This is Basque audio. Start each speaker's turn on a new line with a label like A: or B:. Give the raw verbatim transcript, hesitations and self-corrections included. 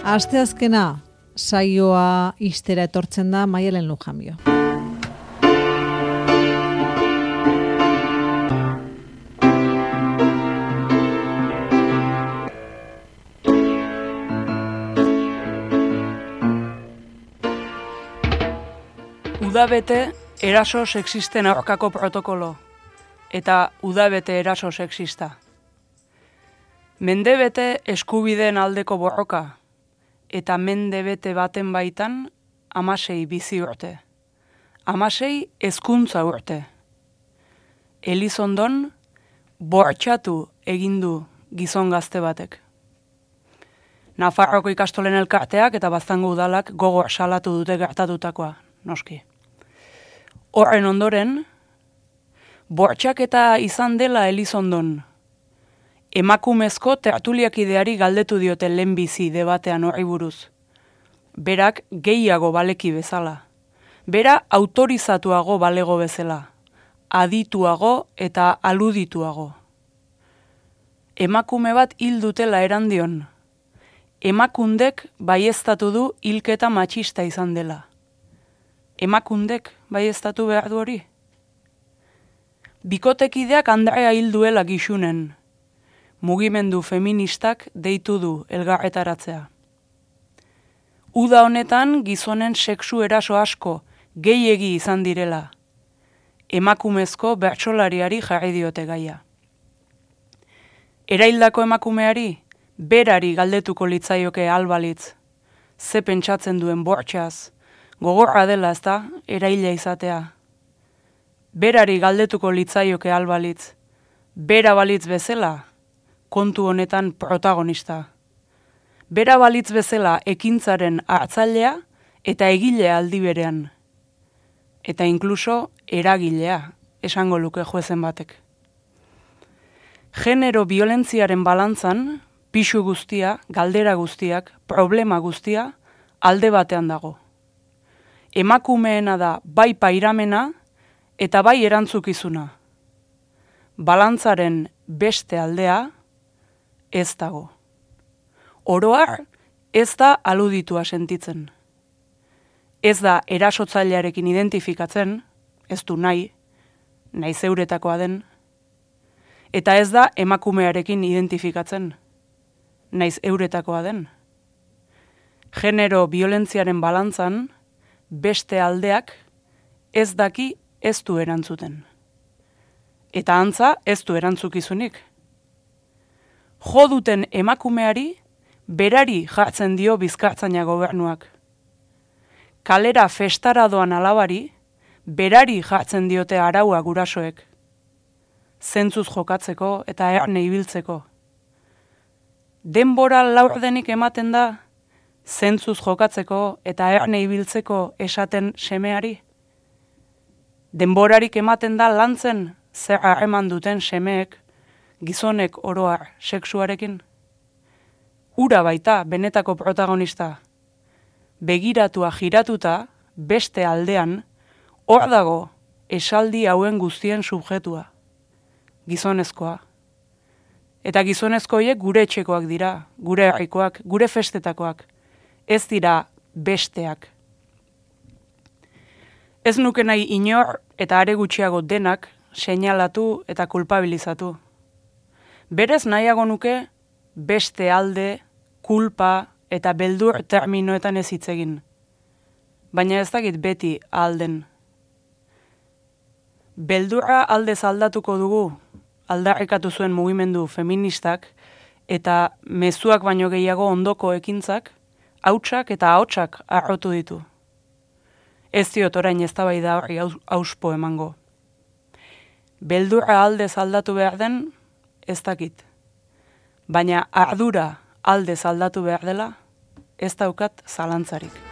A: Asteazkena saioa ixtera etortzen da Maialen Lujambio.
B: Udabete eraso sexisten aurkako protokolo eta udabete eraso sexista. Mendebete eskubideen aldeko borroka eta mendebete baten baitan amasei bizi urte. Amasei hezkuntza urte. Elizondon bortxatu egindu gizon gazte batek. Nafarroko ikastolen elkarteak eta Baztango udalak gogor salatu dute gertatutakoa, noski. Horren ondoren, bortxaketa izan dela Elizondon. Emakumezko tertuliakideari galdetu diote lehenbizi debatean horri buruz. Berak gehiago baleki bezala. Bera autorizatuago balego bezala. Adituago eta aludituago. Emakume bat hil dutela erandion. Emakundek baieztatu du hilketa matxista izan dela. Emakundek baieztatu behar du hori? Bikotekideak Andrea hil duela gixunen. Mugimendu feministak deitu du elgarretaratzea. Uda honetan gizonen sexu eraso asko gehiegi izan direla. Emakumezko bertsolariari jarri diote gaia. Eraildako emakumeari berari galdetuko litzaioke albalitz. Ze pentsatzen duen bortxaz, gogorra dela ezta eraila izatea. Berari galdetuko litzaioke albalitz. Bera balitz bezala, kontu honetan protagonista. Bera balitz bezala ekintzaren hartzailea eta egilea aldi berean. Eta inkluso eragilea, esango luke juezen batek. Genero biolentziaren balantzan, pisu guztia, galdera guztiak, problema guztia, alde batean dago. Emakumeena da bai pairamena eta bai erantzukizuna. Balantzaren beste aldea, ez dago. Oroar, ez da aluditua sentitzen. Ez da erasotzailearekin identifikatzen, ez du nahi, nahi zeuretakoa den, eta ez da emakumearekin identifikatzen, naiz euretakoa den. Genero biolentziaren balantzan, beste aldeak ez daki ez du erantzuten. Eta antza ez du erantzukizunik. Jo duten emakumeari, berari jartzen dio Bizkartzaina gobernuak. Kalera festara doan alabari, berari jartzen diote araua gurasoek. Zentzuz jokatzeko eta erne ibiltzeko. Denbora laurdenik ematen da, zentzuz jokatzeko eta erne ibiltzeko esaten semeari. Denborarik ematen da lantzen zer harreman duten semeek, gizonek oroar sexuarekin. Ura baita benetako protagonista. Begiratua jiratuta, beste aldean, hor dago esaldi hauen guztien subjetua. Gizonezkoa. Eta gizonezkoiek gure etxekoak dira, gure herrikoak, gure festetakoak. Ez dira besteak. Ez nuke nahi inor eta are gutxiago denak seinalatu eta kulpabilizatu. Berez nahiago nuke beste alde, kulpa eta beldur terminoetan ez hitz egin. Baina ez dakit beti alden. Beldurra aldez aldatuko dugu, aldarrikatu zuen mugimendu feministak, eta mezuak baino gehiago ondoko ekintzak, hautsak eta ahotsak arrotu ditu. Ez diot orain eztabaida horri auspo emango. Beldurra aldez aldatu behar den, ez dakit. Baina ardura aldez aldatu behar dela, ez daukat zalantzarik.